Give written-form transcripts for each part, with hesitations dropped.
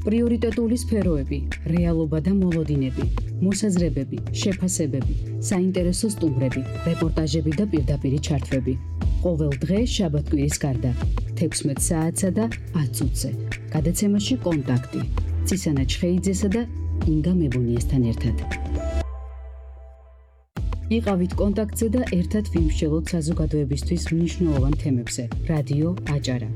პრიორიტეტული სფეროები, რეალობა და მოლოდინები, მოსაზრებები, შეფასებები, საინტერესო სტუმრები, რეპორტაჟები და პირდაპირი ჩართვები. ყოველ დღე შაბათ-კვირის გარდა 16 საათსა და 10 წუთზე. გადაცემაში კონტაქტი. ცისანა ჩხეიძესა და ინგა მებონიესთან ერთად. იყავით კონტაქტზე და ერთად ვიმსჯელოთ საზოგადოებისთვის მნიშვნელოვან თემებზე. რადიო აჭარა,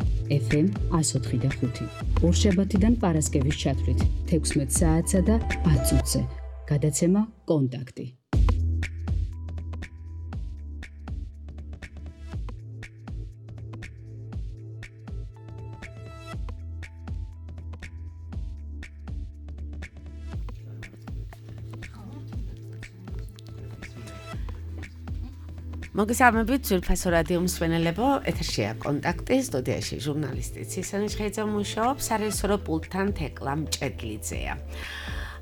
FM 104.5. ორშაბათიდან პარასკევის ჩათვლით 16 საათსა და 10 წუთზე. გადაცემა კონტაქტი. მოგესალმებით ძვირფასო რადიო მსმენელებო, ეთერშია კონტაქტი, სტუდიაში ჟურნალისტი ცისანა ჩხეიძე მუშაობს, სარეჟისორო პულტთან თეკლა მჭედლიძეა.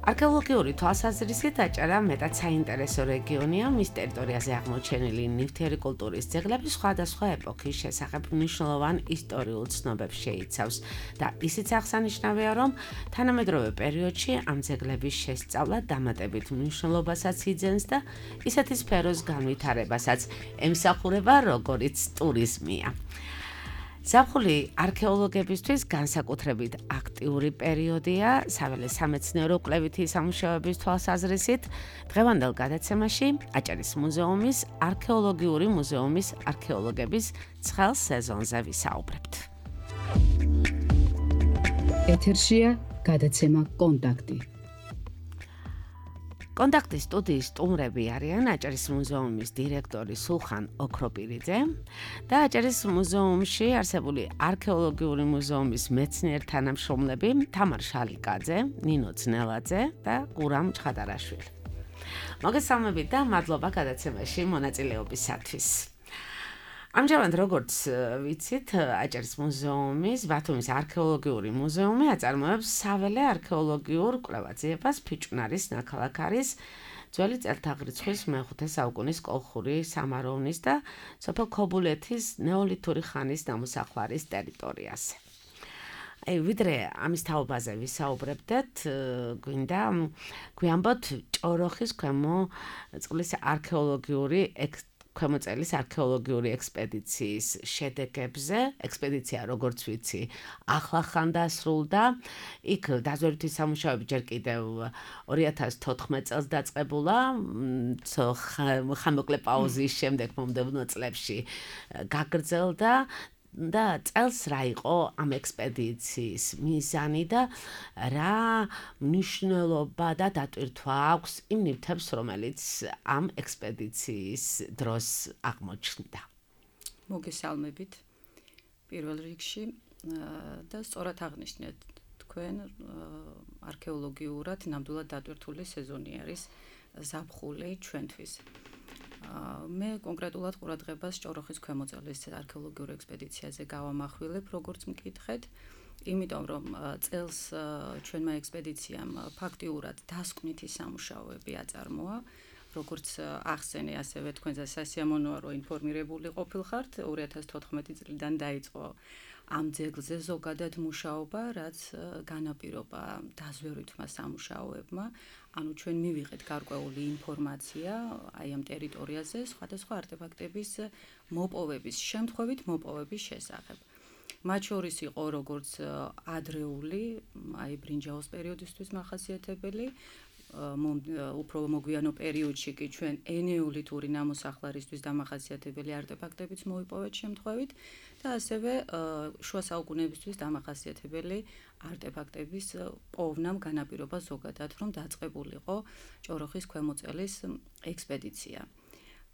არქეოლოგიური თვალსაზრისით აჭარა მეტად საინტერესო რეგიონია, მის ტერიტორიაზე აღმოჩენილი ნივთიერი კულტურის ძეგლები სხვადასხვა ეპოქის შესახებ მნიშვნელოვან ისტორიულ ცნობებს შეიცავს და ისიც აღსანიშნავია, რომ თანამედროვე პერიოდში ამ ძეგლების შესწავლა დამატებით მნიშვნელობასაც იძენს და ისეთი სფეროს განვითარებასაც ემსახურება, როგორიც ტურიზმია. ზაფხული არქეოლოგებისთვის განსაკუთრებით აქტიური პერიოდია, საველე სამეცნიერო კვლევითი სამუშაოების თვალსაზრისით. დღევანდელ გადაცემაში აჭარის მუზეუმის არქეოლოგიური მუზეუმის არქეოლოგების ცხელ სეზონზე ვისაუბრებთ. ეთერშია გადაცემა კონტაქტი. კონტაქტის სტუდიის სტუმრები არიან აჭარის მუზეუმის დირექტორი სულხან ოქროპირიძე და აჭარის მუზეუმში არსებული არქეოლოგიური მუზეუმის მეცნიერ-თანამშრომლები თამარ შალიკაძე, ნინო ძნელაძე და გურამ ჩხატარაშვილი. მოგესალმებით და მადლობა გადაცემაში მონაწილეობისათვის. ამჟამად როგორც ვიცით, აჭარის მუზეუმის ბათუმის არქეოლოგიური მუზეუმი აწარმოებს საველე არქეოლოგიურ კვლევაციებას ფიჭვნარის ნაქალაქარის ძველი წელთაღრიცხვის მე-5 საუკუნის კოლხური სამაროვნის და სოფელ ქობულეთის ნეოლითური ხანის ნამოსახლარის ტერიტორიაზე. ვიდრე ამის თაობაზე ვისაუბრებდეთ, გვინდა გვიამბოთ ჭოროხის ქვემო წყლის ქვემოწელის არქეოლოგიური ექსპედიციის შედეგებზე. ექსპედიცია, როგორც ვიცი, ახლახან დასრულდა. იქ დაზვერვითი სამუშაოები ჯერ კიდევ 2014 წელს დაწყებულა, ხანმოკლე პაუზის შემდეგ მომდევნო წლებში გაგრძელდა. და წელს რა იყო ამ ექსპედიციის მიზანი და რა მნიშვნელობა და დატვირთვა აქვს იმ ნივთებს, რომელიც ამ ექსპედიციის დროს აღმოჩნდა. მოგესალმებით პირველ რიგში და სწორად აღნიშნეთ თქვენ, არქეოლოგიურად ნამდვილად დატვირთული სეზონი არის ზაფხული ჩვენთვის. მე კონკრეტულად ყურადღებას ჭოროხის ქვემოწელის არქეოლოგიურ ექსპედიციაზე გავამახვილებ, როგორც მკითხეთ, იმიტომ რომ წელს ჩვენმა ექსპედიციამ ფაქტიურად დასკვნითი სამუშაოები აწარმოა, როგორც ახსენე, ასევე თქვენზე სასიამოვნოა, რომ ინფორმირებული ყოფილხართ. 2014 წლიდან დაიწყო ამ ძეგლზე ზოგადად მუშაობა, რაც განაპირობა დაზვერვითმა სამუშაოებმა. ანუ ჩვენ მივიღეთ გარკვეული ინფორმაცია აი ამ ტერიტორიაზე სხვადასხვა არტეფაქტების მოპოვების, შემთხვევით მოპოვების შესახებ. მათ შორის იყო როგორც ადრეული, აი ბრინჯაოს პერიოდისთვის მახასიათებელი, უფრო მოგვიანო პერიოდში კი ჩვენ ენეოლითური ნამოსახლარისთვის დამახასიათებელი არტეფაქტებიც მოვიპოვეთ შემთხვევით და ასევე შუა საუკუნეებისთვის დამახასიათებელი არტეფაქტების პოვნამ განაპირობა ზოგადად, რომ დაწყებულიყო ჭოროხის ქვემოწელის ექსპედიცია.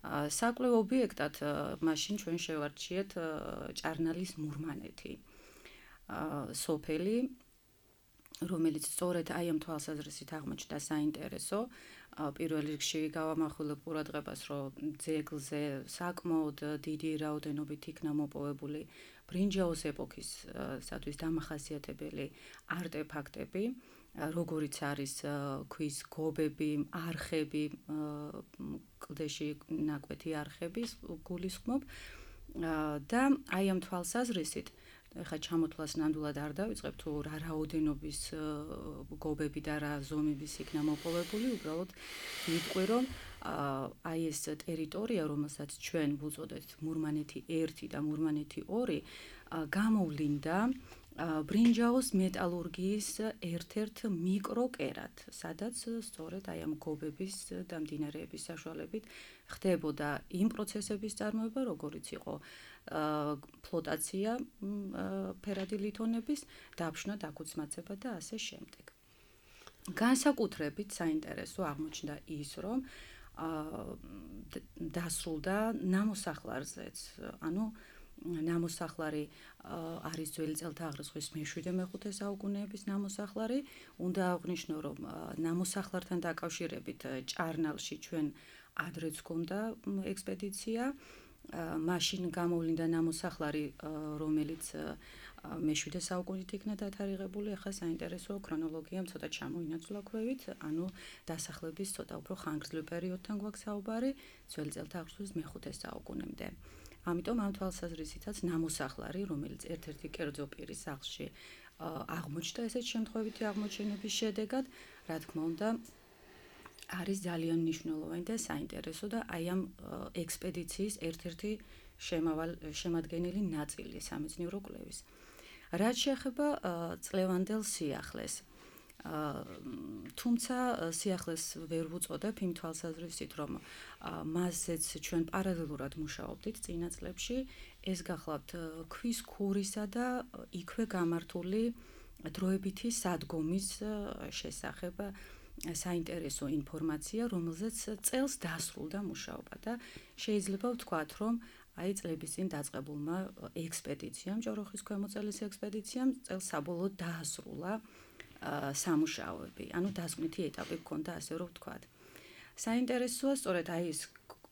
საკვლევ ობიექტად მაშინ ჩვენ შევარჩიეთ ჭარნალის მურმანეთი, სოფელი, რომელიც სწორედ აი ამ თვალსაზრისით აღმოჩნდა საინტერესო. პირველ რიგში გავამახვილებ ყურადღებას, რომ ძეგლზე საკმაოდ დიდი რაოდენობით იქნა მოპოვებული ბრინჯაოს ეპოქისათვის დამახასიათებელი არტეფაქტები, როგორიც არის ქვის გობები, არხები, კლდეში ნაკვეთი არხების გულისხმობ და აი ამ თვალსაზრისით ეხლა ჩამოთვლას ნამდვილად არ დავიწყებ თუ რა რაოდენობის გობები და რა ზომების იქნა მოპოვებული, უბრალოდ ვიტყვი რომ აი ეს ტერიტორია, რომელსაც ჩვენ ვუწოდეთ მურმანეთი 1 და მურმანეთი 2, გამოვლინდა ბრინჯაოს მეტალურგიის ერთ-ერთ მიკროკერად, სადაც სწორედ აი ამ გობების და მდინარეების საშუალებით ხდებოდა იმ პროცესების წარმოება, როგორიც იყო ფლოტაცია ფერადი ლითონების, დაფშნა, დაქუცმაცება და ასე შემდეგ. განსაკუთრებით საინტერესო აღმოჩნდა ის, რომ დასრულდა ნამოსახლარზეც, ანუ ნამოსახლარი არის ძველი წელთაღრიცხვის მე-7-მე-5 საუკუნეების ნამოსახლარი. უნდა აღვნიშნო, რომ ნამოსახლართან დაკავშირებით ჭარნალში ჩვენ ადრეც გქონდა ექსპედიცია. მაშინ გამოვლინდა ნამოსახლარი, რომელიც მე-7 საუკუნით იქნა დათარიღებული. ახლა საინტერესო ქრონოლოგიამ ცოტა ჩამოინაცვლა ქვევით, ანუ დასახლების ცოტა უფრო ხანგრძლივ პერიოდთან გვაქვს საუბარი, ძველი წელთაღრიცხვის მე-5 საუკუნემდე. ამიტომ ამ თვალსაზრისითაც ნამოსახლარი, რომელიც ერთ-ერთი კერძო პირის სახლში აღმოჩნდა ესეთ შემთხვევითი აღმოჩენების შედეგად, რა თქმა უნდა, არის ძალიან მნიშვნელოვანი და საინტერესო და აი ამ ექსპედიციის ერთ-ერთი შემადგენელი ნაწილი სამეცნიერო კვლევის. რაც შეეხება წლევანდელ სიახლეს, თუმცა სიახლეს ვერ ვუწოდებ იმ თვალსაზრისით, რომ მასზეც ჩვენ პარალელურად მუშაობდით წინა წლებში, ეს გახლავთ ქვის ქურისა და იქვე გამართული დროებითი სადგომის შესახებ საინტერესო ინფორმაცია, რომელზეც წელს დასრულდა მუშაობა და შეიძლება ვთქვათ, რომ აი წლების წინ დაწყებულმა ექსპედიციამ, ჭოროხის ქვემოწელის ექსპედიციამ წელს საბოლოოდ დაასრულა სამუშაოები, ანუ დასკვნითი ეტაპი გქონდა, ასე რომ ვთქვათ. საინტერესოა სწორედ აი ეს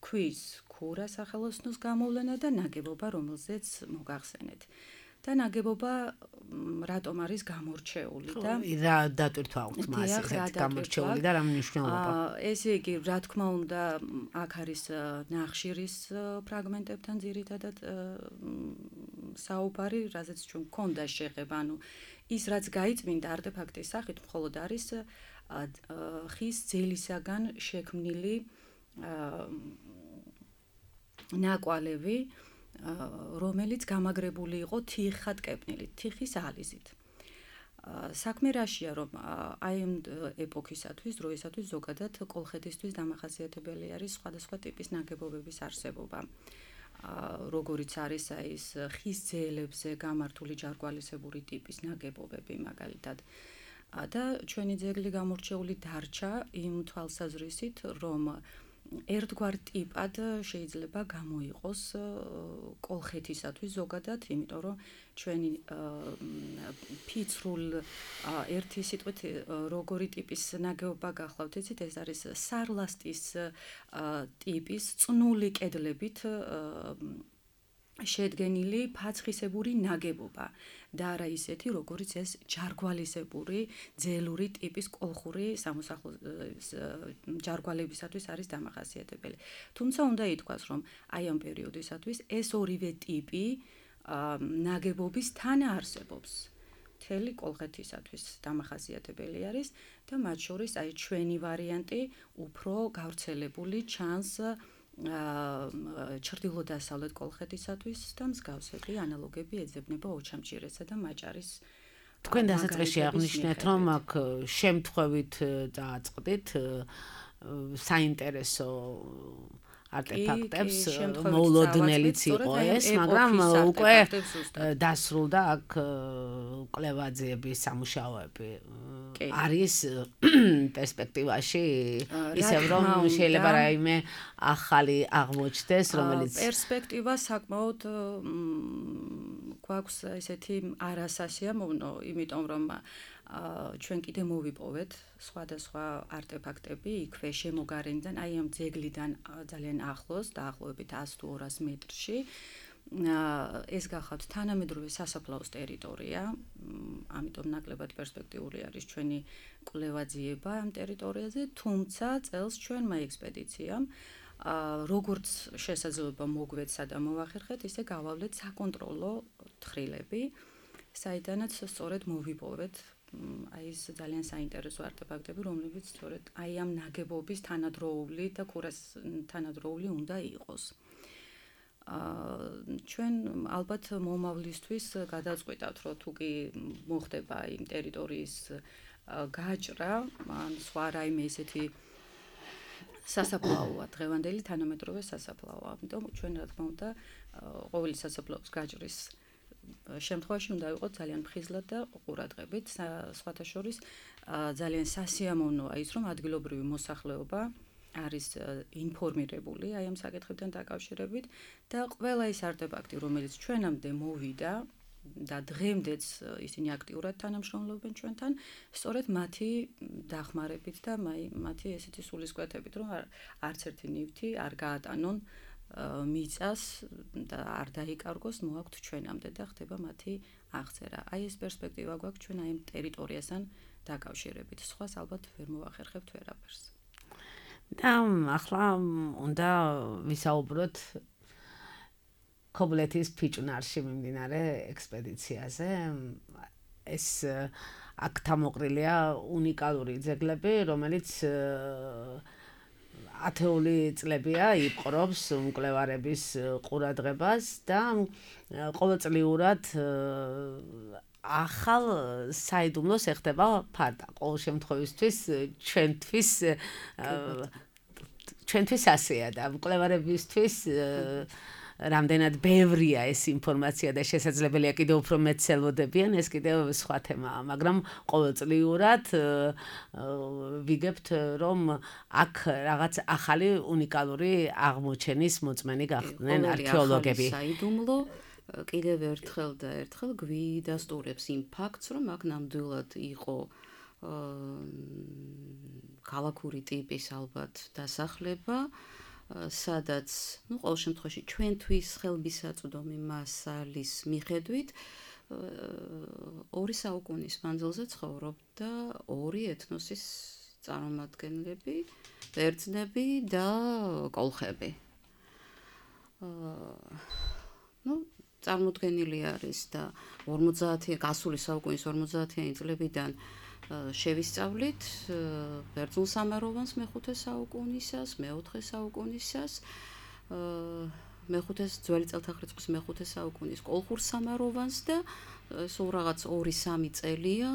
ქვის ქურა სახელოსნოს გამოვლენა და ნაგებობა, რომელზეც მოგახსენეთ. და ნაგებობა რატომ არის გამორჩეული და რა დატვირთვა აქვს მას ესეთ გამორჩეული და რა მნიშვნელობა? ესე იგი, რა თქმა უნდა, აქ არის ნახშირის ფრაგმენტებთან ძირითადად საუბარი, რაზეც ჩვენ გქონდა შეხება, ანუ ის რაც გაიწმინდა არტეფაქტის სახით, მხოლოდ არის ხის ძელისაგან შექმნილი ნაკვალევი, რომელიც გამაგრებული იყო თიხად კეპნილით, თიხის ალიზით. საქმე რაშია, რომ აი ამ ეპოქისათვის, დროისათვის ზოგადად კოლხეთისთვის დამახასიათებელი არის სხვადასხვა ტიპის ნაგებობების არსებობა. როგორიც არის აი ეს ხის ძელებზე გამართული ჯარგვალისებური ტიპის ნაგებობები მაგალითად. და ჩვენი ძეგლი გამორჩეული დარჩა იმ თვალსაზრისით, რომ ერთგვარ ტიპად შეიძლება გამოიყოს კოლხეთისათვის ზოგადად, იმიტომ რომ ჩვენი ფიცრულ ერთი სიტყვით როგორი ტიპის ნაგებობა გახლავთ, იცით, ეს არის სარლასტის ტიპის წნული კედლებით შედგენილი ფაცხისებური ნაგებობა და არა ისეთი, როგორიც ეს ჯარგვალისებური ძელური ტიპის კოლხური სამოსახლო ჯარგვალებისათვის არის დამახასიათებელი. თუმცა უნდა ითქვას, რომ აი ამ პერიოდისათვის ეს ორივე ტიპი ნაგებობის თანაარსებობს. მთელი კოლხეთისათვის დამახასიათებელი არის და მათ შორის აი ჩვენი ვარიანტი უფრო გავრცელებული ჩანს ჩრდილო-დასავლეთ კოლხეთისათვის და მსგავსები ანალოგები ეძებნება ოჩამჭირესა და მაჭარის. თქვენ დასაწყისში აღნიშნეთ, რომ აქ შემთხვევით დააწყდით საინტერესო არტეფაქტებს, მოულოდნელიც იყო ეს, მაგრამ უკვე დასრულდა აქ კვლევაძიების სამუშაოები. არის პერსპექტივაში ისევ რომ შეიძლება რაიმე ახალი აღმოჩნდეს, რომელიც პერსპექტივა საკმაოდ გვაქვს ესეთი არასასიამოვნო, იმიტომ რომ ჩვენ კიდე მოვიპოვეთ სხვადასხვა არტეფაქტები იქვე შემოგარენიდან, აი ამ ძეგლიდან ძალიან ახლოს, დაახლოებით 100 თუ 200 მეტრში. ეს გახავთ თანამედროვე სასაფლაოს ტერიტორია, ამიტომ ნაკლებად პერსპექტიული არის ჩვენი კვლევაძიება ამ ტერიტორიაზე, თუმცა წელს ჩვენმა ექსპედიციამ როგორც შესაძლებლობა მოგვეცა და მოვახერხეთ, ისე გავავლეთ საკონტროლო თხრილები. საიდანაც სწორედ მოვიპოვეთ აი ეს ძალიან საინტერესო არტეფაქტები, რომლებიც სწორედ აი ამ ნაგებობის თანადროული და თანადროული უნდა იყოს. ჩვენ ალბათ მომავლისთვის გადაწყვეტავთ, რომ თუ კი მოხდება იმ ტერიტორიის გაჭრა, ან სხვა რაიმე ესეთი სასაფლაოა, დღევანდელი თანამედროვე სასაფლაოა. ამიტომ ჩვენ რა თქმა უნდა ყოველი სასაფლაოს გაჭრის შემთხვევაში უნდა იყოს ძალიან ფხიზლად და ყურადღებით. სხვათა შორის ძალიან სასიამოვნოა ის, რომ ადგილობრივი მოსახლეობა არის ინფორმირებული აი ამ საკითხებთან დაკავშირებით და ყველა ის არტეფაქტი, რომელიც ჩვენამდე მოვიდა და დღემდეც ისინი აქტიურად თანამშრომლობენ ჩვენთან, სწორედ მათი დახმარებით და მათი ესეთი სულისკვეთებით, რომ არც ერთი ნივთი არ გაატანონ მიწას და არ დაიკარგოს მოაქვთ ჩვენამდე და ხდება მათი აღწერა. აი ეს პერსპექტივა გვაქვს ჩვენ აი ამ ტერიტორიასთან დაკავშირებით. სხვას ალბათ ვერ მოვახერხებთ ვერაფერს. და ახლა უნდა ვისაუბროთ ქობლეთის ფიჭვნარში მიმდინარე ექსპედიციაზე. ეს აქ თამოყრილია უნიკალური ძეგლები, რომელიც ათეული წლებია იპყრობს მკვლევარების ყურადღებას და ყოველწლიურად ახალ საიდუმლოს ეხდება ფარდა. ყოველ შემთხვევისთვის ჩვენთვის ასეა და მკვლევარებისთვის რამდენად ბევრია ეს ინფორმაცია და შესაძლებელია კიდევ უფრო მეტს ელოდებიან, ეს კიდევ სხვა თემაა, მაგრამ ყოველწლიურად ვიგებთ, რომ აქ რაღაც ახალი უნიკალური აღმოჩენის მოწმენი გახდნენ არქეოლოგები. საიდუმლო კიდევ ერთხელ და ერთხელ გვიდასტურებს იმ ფაქტს, რომ აქ ნამდვილად იყო ქალაქური ტიპის ალბათ დასახლება, სადაც, ყოველ შემთხვევაში ჩვენთვის ხელმისაწვდომი მასალის მიხედვით 2 საუკუნის მანძილზე ცხოვრობდა 2 ეთნოსის წარმომადგენლები, ბერძნები და კოლხები. წარმოდგენილი არის და 50 გასული საუკუნის 50-იანი წლებიდან შევისწავლით ბერძნულ სამაროვანს მე-5 საუკუნისას, მე-4 საუკუნისას, მე-5 ძველი წელთაღრიცხვის მე-5 საუკუნის კოლხურ სამაროვანს და სულ რაღაც 2-3 წელია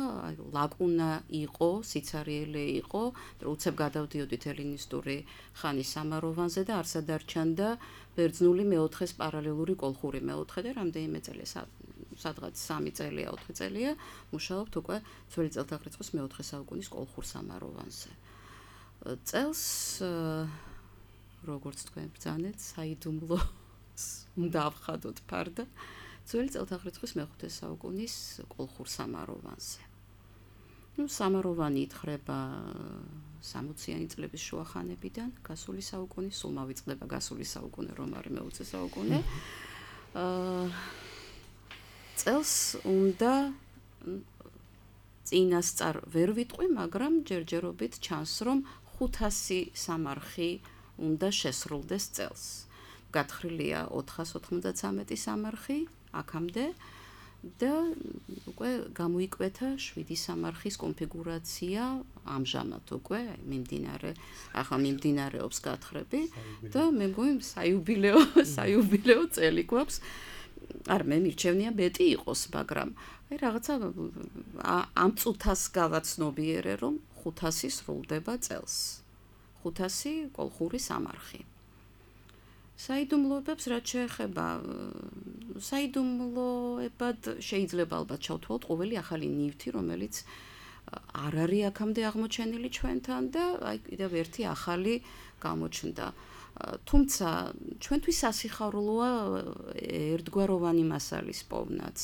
ლაკუნა იყო, სიცარიელე იყო, უცებ გადავდიოდით ელინისტური ხანის სამაროვანზე და არ სადარჩანდა ბერძნული მე-4-ის პარალელური კოლხური მე-4 და რამდენიმე წელია სადღაც 3 წელია, 4 წელია მუშაობთ უკვე ძველი წელთაღრიცხვის მე-4 საუკუნის კოლხურ სამაროვანზე. წელს როგორც თქვენ ბრძანეთ, საიდუმლოს უნდა ავხადოთ ფარდა ძველი წელთაღრიცხვის მე-5 საუკუნის კოლხურ სამაროვანზე. სამაროვანი ითხრება 60-იანი წლების შუახანებიდან, გასული საუკუნის, სულ მოვიწყდება გასული საუკუნე, რომ არის მე-20 საუკუნე. წელს უნდა წინასწარ ვერ ვიტყვი, მაგრამ ჯერჯერობით ჩანს, რომ 500 სამარხი უნდა შესრულდეს წელს. გათხრილია 493 სამარხი აქამდე და უკვე გამოიკვეთა 7 სამარხის კონფიგურაცია ამჟამად უკვე ახლა მიმდინარეობს გათხრები და მე მგონი საიუბილეო წელი გვაქვს. არ მე მირჩევნია მეტი იყოს, მაგრამ აი რაღაცა ამ წუთას გავაცნობიერე, რომ 500 სრულდება წელს. 500 კოლხური სამარხი. საიდუმლოებებს რაც შეეხება, საიდუმლოებად შეიძლება ალბათ ჩავთვალოთ ყოველი ახალი ნივთი, რომელიც არ არის აქამდე აღმოჩენილი ჩვენთან და აი კიდევ ერთი ახალი გამოჩნდა. თუმცა ჩვენთვის სასიხარულოა ერთგვაროვანი მასალის პოვნაც.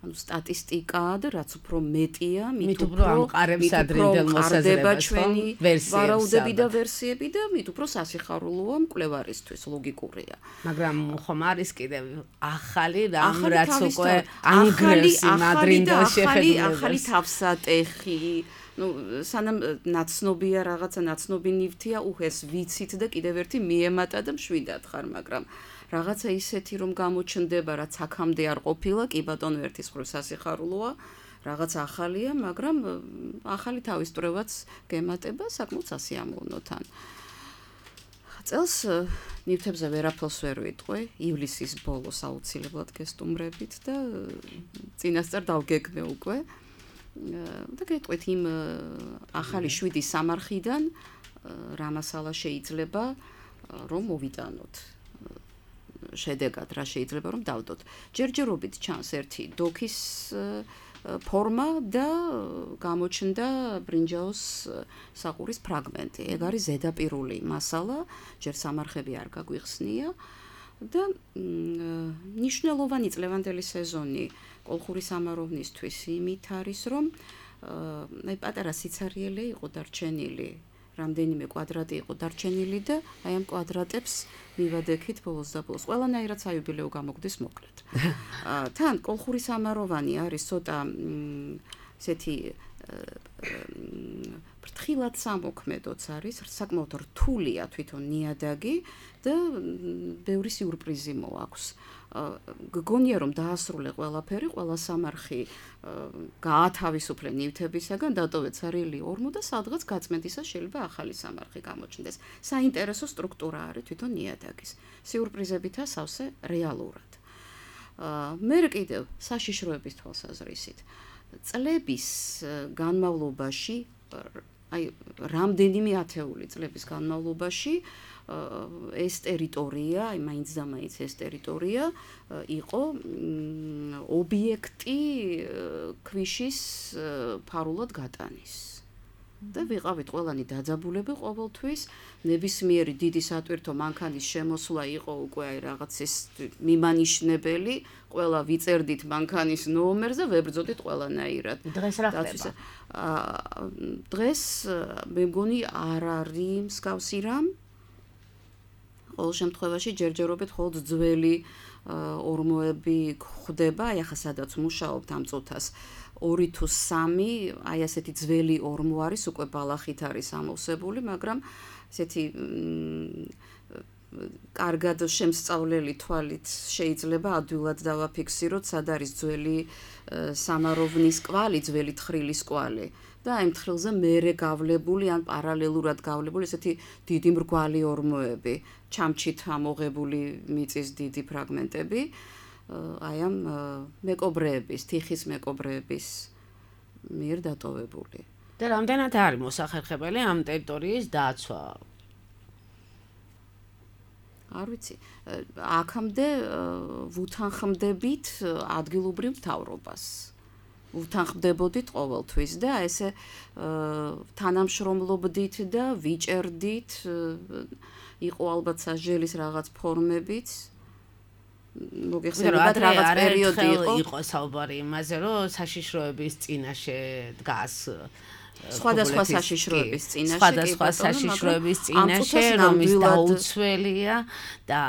სტატისტიკა და რაც უფრო მეტია, მით უფრო ამყარებს ადრინდელ მოსაზრებას, ჩვენი ვარაუდები და ვერსიები და მით უფრო სასიხარულოა მკვლევარისთვის, ლოგიკურია. მაგრამ ხომ არის კიდევ ახალი რამ, რაც უკვე ანგრევს იმ ადრინდელ შეხედულებას. ახალი თავსატეხი, სანამ ნაცნობია რაღაცა, ნაცნობი ნივთია, ეს ვიცით და კიდევ ერთი მიემატა და მშვიდად ხარ, მაგრამ რაღაცა ისეთი რომ გამოჩნდება, რაც აქამდე არ ყოფილა, კი ბატონო ერთის მხრივ სასიხარულოა, რაღაც ახალია, მაგრამ ახალი თავისწრებაც გემატება საკმაოდ სასიამოვნო თან. წელს ნივთებზე ვერაფერს ვერ ვიტყვი, ივლისის ბოლოს აუცილებლად გესტუმრებით და წინასწარ დავგეგმე უკვე. და გეტყვით იმ ახალი 7 სამარხიდან რა მასალა შეიძლება რომ მოვიტანოთ. შედეგად რა შეიძლება რომ დავდოთ. ჯერჯერობით ჩანს ერთი დოქის ფორმა და გამოჩნდა ბრინჯაოს საყურის ფრაგმენტი. ეგ არის ზედაპირული მასალა, ჯერ სამარხები არ გაგვიხსნია და ნიშნულოვანი წლევანდელი სეზონი კოლხური სამაროვნისთვის იმით არის, რომ აი პატარა სიცარიელე იყო დარჩენილი, რამდენიმე კვადრატი იყო დარჩენილი და აი ამ კვადრატებს მივადექით ბოლოს და ბოლოს. ყველანაირად საიუბილეო გამოგდის მოკლედ. თან კოლხური სამაროვანი არის ცოტა ესეთი ფრთხილად სამოქმედოც არის, საკმაოდ რთულია თვითონ ნიადაგი და ბევრი სიურპრიზი მოაქვს. გგონია რომ დაასრულე ყველაფერი, ყველა სამარხი გაათავისუფლე ნივთებისაგან, დატოვეთ სარიელი ორმო და სადღაც გაწმენდისას შეიძლება ახალი სამარხი გამოჩნდეს. საინტერესო სტრუქტურა არის თვითონ ნიადაგის. სიურპრიზებითა სავსე რეალურად. მე კიდევ საშიშროების თვალსაზრისით წლების განმავლობაში, აი რამდენიმე ათეული წლების განმავლობაში ეს ტერიტორია, აი მაინც და მაინც ეს ტერიტორია იყო ობიექტი ქვიშის ფარულად გატანის. და ვიყავით ყველანი დაძაბულები ყოველთვის, ნებისმიერი დიდი სატვირთო მანქანის შემოსვლა იყო უკვე აი რაღაც ის მიმანიშნებელი, ყველა ვიწერდით მანქანის ნომერს და ვებრძოდით ყველანაირად. დღეს რა ხდება? დღეს მე მგონი არ არის მსგავსი რამ. ყოველ შემთხვევაში ჯერჯერობით მხოლოდ ძველი ორმოები გვხვდება, აი ახლა სადაც მუშაობთ ამ წუთას 2 თუ 3, აი ასეთი ძველი ორმო არის, უკვე ბალახით არის ამოვსებული, მაგრამ ესეთი კარგად შემსწავლელი თვალით შეიძლება ადვილად დავაფიქსიროთ, სად არის ძველი სამაროვნის კვალი, ძველი თხრილის კვალი. და აი მთხრილზე მერე გავლებული ან პარალელურად გავლებული ესეთი დიდი მრგვალი ორმოები, ჩამჩით ამოღებული მიწის დიდი ფრაგმენტები, აი ამ მეკობრეების, თიხის მეკობრეების მიერ დატოვებული. და რამდენად არის მოსახერხებელი ამ ტერიტორიის დაცვა? არ ვიცი, აქამდე ვუთანხმდებით ადგილობრივ მთავრობას. ვუთანხმდებოდით ყოველთვის და ესე თანამშრომლობდით და ვიჭერდით, იყო albათ სასჯელის რაღაც ფორმებიც. მოგეხსენებათ რაღაც პერიოდი იყო საუბარი იმაზე, რომ საშიშროების წინაშე დგას სხვადასხვა საშიშროების წინაშე, სხვადასხვა საშიშროების წინაშე, რომის დაუცველია და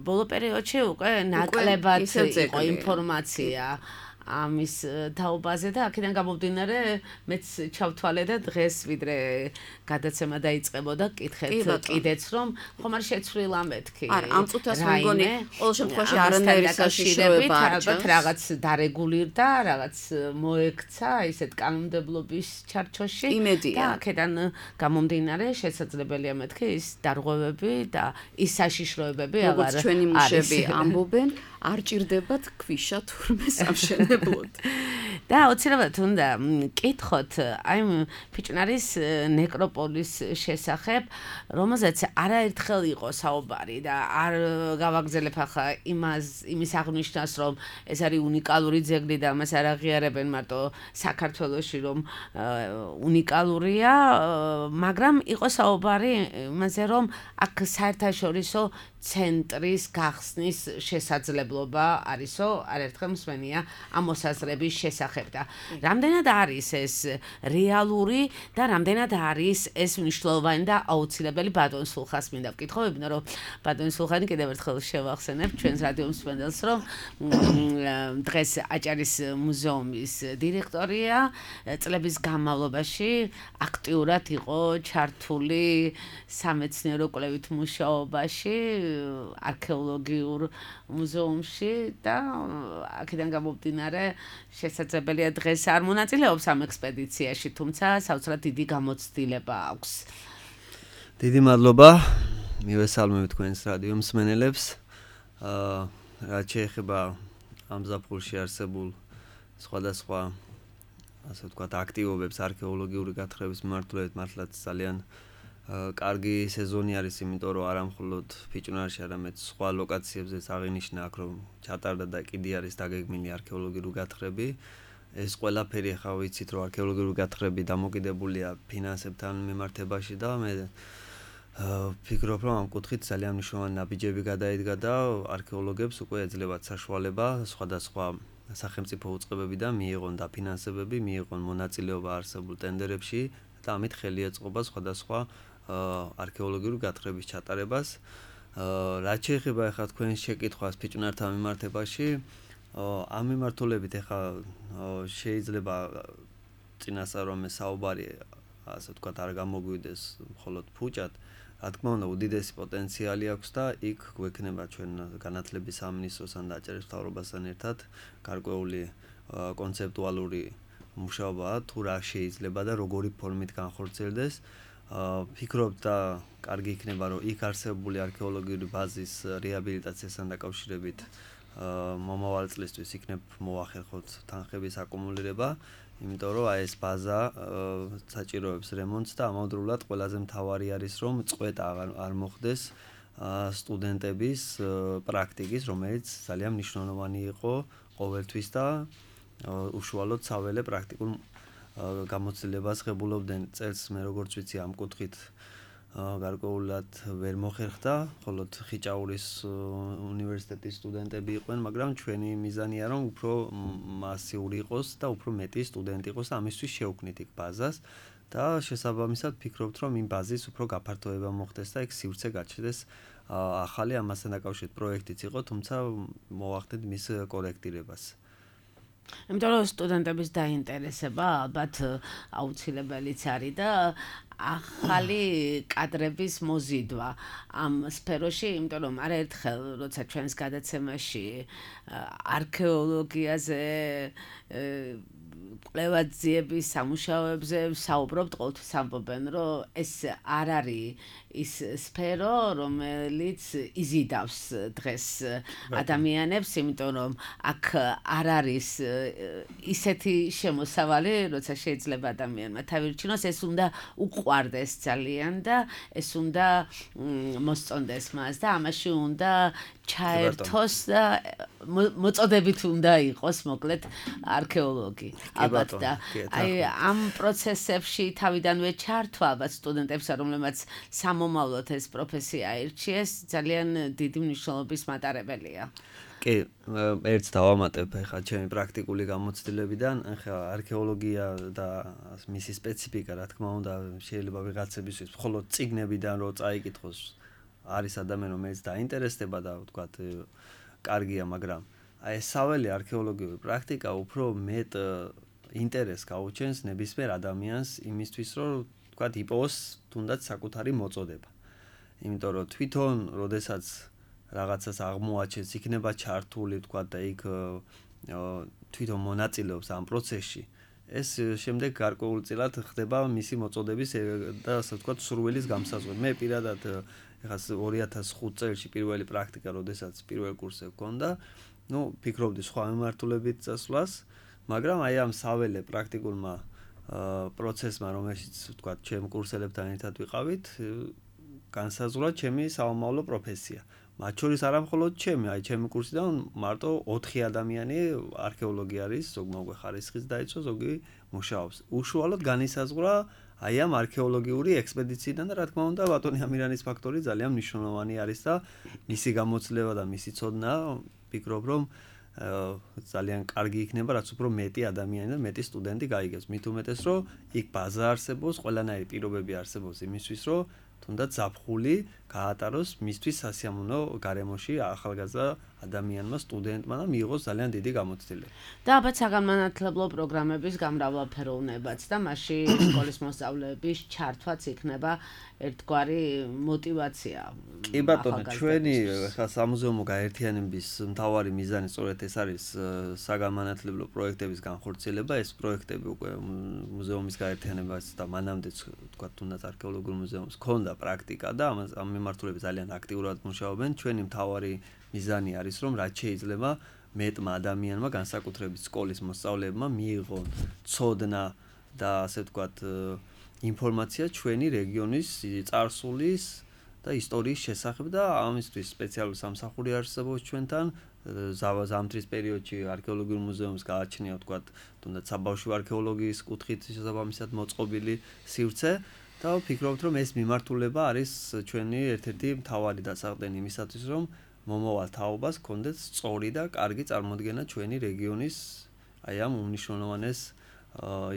ბოლო პერიოდში უკვე ნაკლებად იყო ინფორმაცია ამის თაობაზე და აქედან გამომდინარე მეც ჩავთვალე და დღეს ვიდრე გადაცემა დაიწყებოდა კითხეთ კიდეც რომ ხომ არ შეცვლილა მეთქი. არა, ამ წუთას მგონი ყოველ შემთხვევაში არანაირი საშიშროება არ ჩანს. რაღაც დარეგულირდა, რაღაც მოექცა ისეთ კანონმდებლობის ჩარჩოში და აქედან გამომდინარე შესაძლებელია მეთქი ის დარღვევები და ის საშიშროებები აღარ არის. ჩვენი მუშები ამბობენ, არ ჭირდებათ ქვიშა თურმე სამშენებლოდ. და აუცილებლად უნდა კითხოთ აი ფიჭნარის ნეკროპოლის შესახებ, რომელზეც არაერთხელ იყო საუბარი და არ გავაგზელებ ახლა იმის აღნიშნას, რომ ეს არის უნიკალური ძეგლი და მას არ აღიარებენ მარტო საქართველოში, რომ უნიკალურია, მაგრამ იყო საუბარი იმაზე, რომ აქ საერთაშორისო ცენტრის გახსნის შესაძლებლობა არისო, არაერთხელ მსმენია ამ ამ მოსაზრების შესახებ და რამდენად არის ეს რეალური და რამდენად არის ეს მნიშვნელოვანი და აუცილებელი ბატონ სულხას მინდა ვკითხო, იმიტომ რომ ბატონ სულხანი კიდევ ერთხელ შევახსენებ ჩვენს რადიო მსმენელს, რომ დღეს აჭარის მუზეუმის დირექტორია, წლების განმავლობაში აქტიურად იყო ჩართული სამეცნიერო კვლევით მუშაობაში, არქეოლოგიურ მუზეუმში და აქედან გამომდინარე შესაძლებელია დღეს არ მონაწილეობს ამ ექსპედიციაში, თუმცა საოცრად დიდი გამოცდილება აქვს. დიდი მადლობა. მივესალმებ თქვენს რადიო მსმენელებს. რაც შეეხება ამ ზაფხულში არსებულ სხვადასხვა ასე ვთქვათ აქტივობებს არქეოლოგიური გათხრების მიმართულებით მართლაც ძალიან კარგი სეზონი არის, იმიტომ რომ არა მხოლოდ ფიჭვნარში, არამედ სხვა ლოკაციებზეც აღინიშნა აქ რომ ჩატარდა და კიდე არის დაგეგმილი არქეოლოგიური გათხრები. ეს ყველაფერი ახლა ვიცით რომ არქეოლოგიური გათხრები დამოკიდებულია ფინანსებთან მიმართებაში და მე ფიქრობ რომ ამ კუთხით ძალიან მნიშვნელოვანი ნაბიჯები გადაიდგა და არქეოლოგებს უკვე ეძლებათ საშუალება სხვადასხვა სახელმწიფო უწყებებიდან მიიღონ დაფინანსებები, მიიღონ მონაწილეობა არსებულ ტენდერებში და ამით ხელი ეწყობა სხვადასხვა არქეოლოგიური გათხრების ჩატარებას. რაც შეეხება ახლა თქვენ შეკითხვას ფიჭვნართან მიმართებაში, ამ მიმართულებით ახლა შეიძლება წინასწარ რომ საუბარი ასე ვთქვათ არ გამოგვიდეს მხოლოდ ფუჭად, რა თქმა უნდა უდიდესი პოტენციალი აქვს და იქ გვექნება ჩვენ განათლების სამინისტროსთან და აჭარის მთავრობასთან ერთად გარკვეული კონცეპტუალური მუშაობა თუ რა შეიძლება და როგორი ფორმით განხორციელდეს. ფიქრობ და კარგი იქნება რომ იქ არსებული არქეოლოგიური ბაზის რეაბილიტაციასთან დაკავშირებით მომავალ წლისთვის იქნებ მოახერხოთ თანხების აკუმულირება, იმიტომ რომ ეს ბაზა საჭიროებს რემონტს და ამავდროულად ყველაზე მთავარი არის რომ წყვეტა არ მოხდეს სტუდენტების პრაქტიკის, რომელიც ძალიან მნიშვნელოვანი იყო ყოველთვის და უშუალოდ საველე პრაქტიკულ გამოცდილებას ღებულობდნენ წელს. მე როგორც ვიცი ამ კუთხით გარკვეულად ვერ მოხერხდა, მხოლოდ ხიჭაურის უნივერსიტეტის სტუდენტები იყვნენ, მაგრამ ჩვენი მიზანია რომ უფრო მასიური იყოს და უფრო მეტი სტუდენტი იყოს და ამისთვის შევქმნით იქ ბაზას და შესაბამისად ფიქრობთ რომ იმ ბაზის უფრო გაფართოება მოხდეს და იქ სივრცე გაჩნდეს ახალი ამასთან დაკავშირებით პროექტიც იყო, თუმცა მოვახდეთ მის კორექტირებას. იმიტომ რომ სტუდენტების დაინტერესება ალბათ აუცილებელიც არის და ახალი კადრების მოზიდვა ამ სფეროში, იმიტომ რომ არაერთხელ როცა ჩვენს გადაცემაში არქეოლოგიაზე კვლევაძიების სამუშაოებზე საუბრობთ, ყოველთვის ამბობენ, რომ ეს არ არის ის სფერო, რომელიც იზიდავს დღეს ადამიანებს, იმიტომ რომ აქ არ არის ისეთი შემოსავალი, როცა შეიძლება ადამიანმა თავირჩინოს, ეს უნდა უყვარდეს ძალიან და ეს უნდა მოსწონდეს მას და ამაში უნდა ჩაერთოს და მოწოდებით უნდა იყოს მოკლედ არქეოლოგი. ალბათ და აი ამ პროცესებში თავიდანვე ჩართვა ალბათ სტუდენტებს, რომლებმაც მომავლოდ ეს პროფესია აირჩიეს, ძალიან დიდი მნიშვნელობის მატარებელია. კი, ერთს დავამატებ ახლა ჩემი პრაქტიკული გამოცდილებიდან, ახლა არქეოლოგია და მისი სპეციფიკა, რა თქმა უნდა, შეიძლება ვიღაცებისთვის მხოლოდ წიგნებიდან რო წაიკითხოს, არის ადამიანი, რომელიც დაინტერესდება და ვთქვათ, კარგია, მაგრამ აი ეს საველე არქეოლოგიური პრაქტიკა უფრო მეტ ინტერესს გაუჩენს ნებისმიერ ადამიანს იმისთვის, რომ ვთქვათ, იპოვოს თუნდაც საკუთარი მოწოდება. იმიტომ რომ თვითონ, როდესაც რაღაცას აღმოაჩენს, იქნება ჩართული, ვთქვათ, და იქ თვითონ მონაწილეობს ამ პროცესში, ეს შემდეგ გარკვეულწილად ხდება მისი მოწოდების და ასე ვთქვათ, სურვილის გამსაზღვრი. მე პირადად ეხლა 2005 წელს პირველი პრაქტიკა, როდესაც პირველ კურსზე ვქონდა, ფიქრობდი სხვა მიმართულებით წასვლას, მაგრამ აი ამ საველე პრაქტიკულმა პროცესმა, რომელშიც ვთქვათ, ჩემ კურსელებთან ერთად ვიყავით, განსაზღვრა ჩემი საომავლო პროფესია. მათ შორის არა მხოლოდ ჩემი, აი ჩემი კურსიდან მარტო 4 ადამიანი არქეოლოგი არის, ზოგი მოგვე ხარისხის დაიცვა, ზოგი მუშაობს. უშუალოდ განისაზღვრა აი ამ არქეოლოგიური ექსპედიციიდან და რა თქმა უნდა ბატონი ამირანის ფაქტორი ძალიან მნიშვნელოვანი არის და მისი გამოცდილება და მისი ცოდნა, ფიქრობ რომ ძალიან კარგი იქნება, რაც უფრო მეტი ადამიანი და მეტი სტუდენტი გაიგებს. მით უმეტეს, რომ იქ ბაზა არსებობს, ყველანაირი პირობები არსებობს იმისთვის, რომ თუნდაც ზაფხული გაატაროს მისთვის სასიამოვნო გარემოში ახალგაზრდა ადამიანმა, სტუდენტმა და მიიღოს ძალიან დიდი გამოცდილება. და ალბათ საგანმანათლებლო პროგრამების გამრავალფეროვნებაც და მასში სკოლის მოსწავლეების ჩართვაც იქნება ერთგვარი мотиваცია. კი ბატონო, ჩვენი ხა სამუზეუმო გაერთიანების მთავარი მიზანი სწორედ ეს არის საგანმანათლებლო პროექტების განხორციელება. ეს პროექტები უკვე მუზეუმის გაერთიანებას და მანამდეც თქვა თუნდაც არქეოლოგიურ მუზეუმს ქონდა პრაქტიკა და ამ მიმართულებით ძალიან აქტიურად მუშაობენ. ჩვენი მთავარი მიზანი არის, რომ რაც შეიძლება მეტმა ადამიანმა, განსაკუთრებით სკოლის მოსწავლეებმა მიიღონ ცოდნა და ასე ვთქვათ ინფორმაცია ჩვენი რეგიონის წარსულის და ისტორიის შესახებ და ამისთვის სპეციალური სამსახური არსებობს ჩვენთან. ზამთრის პერიოდში არქეოლოგიურ მუზეუმს გააჩნია ვთქვათ თუნდაც საბავშვო არქეოლოგიის კუთხით შესაბამისად მოწყობილი სივრცე და ვფიქრობთ, რომ ეს მიმართულება არის ჩვენი ერთ-ერთი მთავარი დასაყრდენი იმისათვის, რომ მომავალ თაობას კონდეთ სწორი და კარგი წარმოდგენა ჩვენი რეგიონის აი ამ უმნიშვნელოვანეს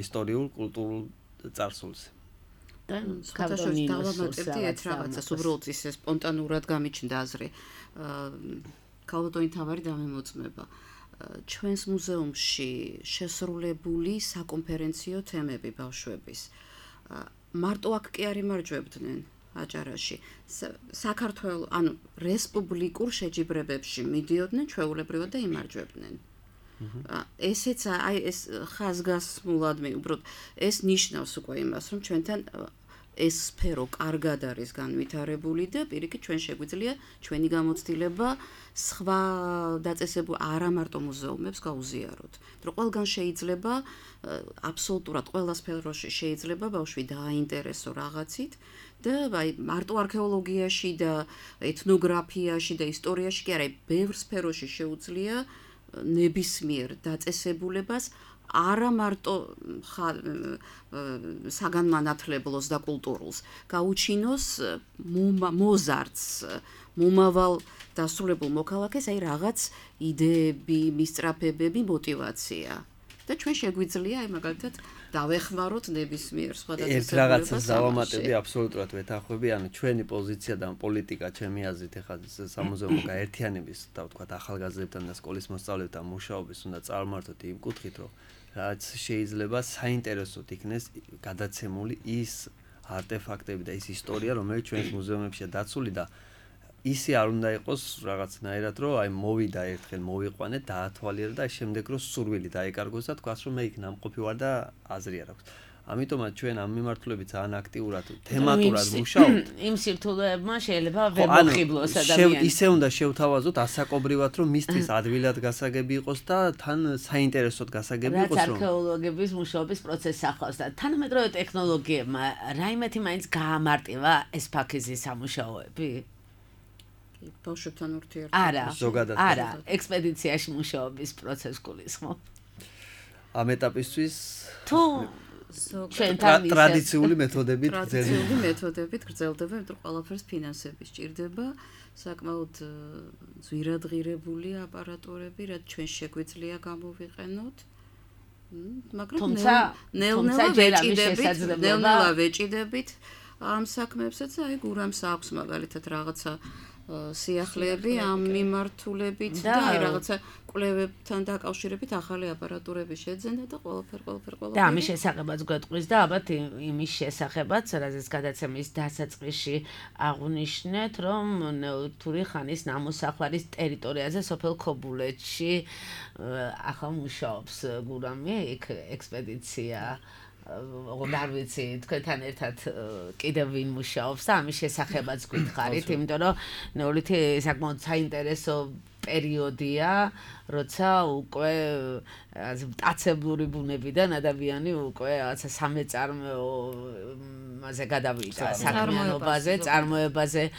ისტორიულ კულტურულ წარსულზე. და ქართულში დავამატებდი ერთ რაღაცას, უბრალოდ ისე სპონტანურად გამიჩნდა აზრი. ქალბატონი თავარი დამემოწმება. ჩვენს მუზეუმში შესრულებული საკონფერენციო თემები ბავშვების. მარტო აქ კი არ იმარჯვებდნენ აჭარაში. საქართველოს, ანუ რესპუბლიკურ შეჯიბრებებში მიდიოდნენ ჩვეულებრივად და იმარჯვებდნენ. ესეც აი ეს ხაზგასმულად უბრალოდ ეს ნიშნავს უკვე იმას, რომ ჩვენთან ეს სფერო კარგად არის განვითარებული და პირიქით ჩვენ შეგვიძლია ჩვენი გამოცდილება სხვა დაწესებულ არა მარტო მუზეუმებს გაუზიაროთ. რომ ყველგან შეიძლება აბსოლუტურად ყველა სფეროში შეიძლება ბავშვი დააინტერესო რაღაცით და აი მარტო არქეოლოგიაში და ეთნოგრაფიაში და ისტორიაში კი არა, ბევრ სფეროში შეუძლია ნებისმიერ დაწესებულებას არა მარტო საგანმანათლებლოს და კულტურულს გაუჩინოს მოზარდს მომავალ დასრულებულ მოქალაქეს აი რაღაც იდეები, მისწრაფებები, мотиваცია და ჩვენ შეგვიძლია აი მაგალითად დავეხმაროთ ნებისმიერ სხვა დაწესებულებას. ერთ რაღაცას დავამატებდი აბსოლუტურად ვეთანხმები, ანუ ჩვენი პოზიცია და პოლიტიკა ჩემი აზრით ეხლა სამუზეუმო გაერთიანების და ვთქვათ ახალგაზრდებთან და სკოლის მოსწავლეებთან მუშაობის უნდა წარმართოთ იმ კუთხით, რომ რაც შეიძლება საინტერესოდ იქნეს გადაცემული ის არტეფაქტები და ის ისტორია, რომელიც ჩვენს მუზეუმებშია დაცული და ისი არ უნდა იყოს რაღაცნაირად, რომ აი მოვიდა ერთხელ მოვიყვანეთ, დაათვალიერე და შემდეგ რომ სურვილი დაეკარგოს და თქვას, რომ მე იქ ნამყოფი ვარ და აზრი არ აქვს. ამიტომაც ჩვენ ამ მიმართულებით ძალიან აქტიურად თემატურად მუშაობთ. იმ სირთულეებმა შეიძლება ვერ მოხიბლოს ადამიანი. ისე უნდა შევთავაზოთ ასაკობრივად, რომ მისთვის ადვილად გასაგები იყოს და თან საინტერესოდ გასაგები იყოს, რომ არქეოლოგების მუშაობის პროცესს ახლავს და თანამედროვე ტექნოლოგიებმა რაიმეთი მაინც გაამარტივა ეს ფაქიზის სამუშაოები? ბავშვებთან ურთიერთობა. არა, ექსპედიციაში მუშაობის პროცესს გულისხმობ. ამ ეტაპისთვის თუ ტრადიციული მეთოდებით გრძელდება, იმიტომ რომ ყველაფერს ფინანსები სჭირდება, საკმაოდ ზვირადღირებული აპარატურები, რაც ჩვენ შეგვიძლია გამოვიყენოთ. მაგრამ ნელ-ნელა ვეჭიდებით ამ საქმეებსაც, აი გურამს აქვს მაგალითად რაღაცა სიახლეები ამ მიმართულებით და აი რაღაცა კვლევებთან დაკავშირებით ახალი აპარატურები შეძენა და ყველაფერი და ამის შესახებაც გვეტყვის და ალბათ იმის შესახებაც, რაზეც გადაცემის დასაწყისში აღვნიშნეთ, რომ ნეოლითური ხანის ნამოსახლარის ტერიტორიაზე სოფელ ქობულეთში ახლა მუშაობს გურამი, იქ ექსპედიცია არ ვიცი, თქვენთან ერთად კიდევ ვინ მუშაობს და ამის შესახებაც გითხარით, იმიტომ რომ ნეოლითი საკმაოდ საინტერესო პერიოდია, როცა უკვე მტაცებლური ბუნებიდან ადამიანი უკვე რაღაცა სამეწარმოებაზე გადავიდა, საქმიანობაზე, წარმოებაზე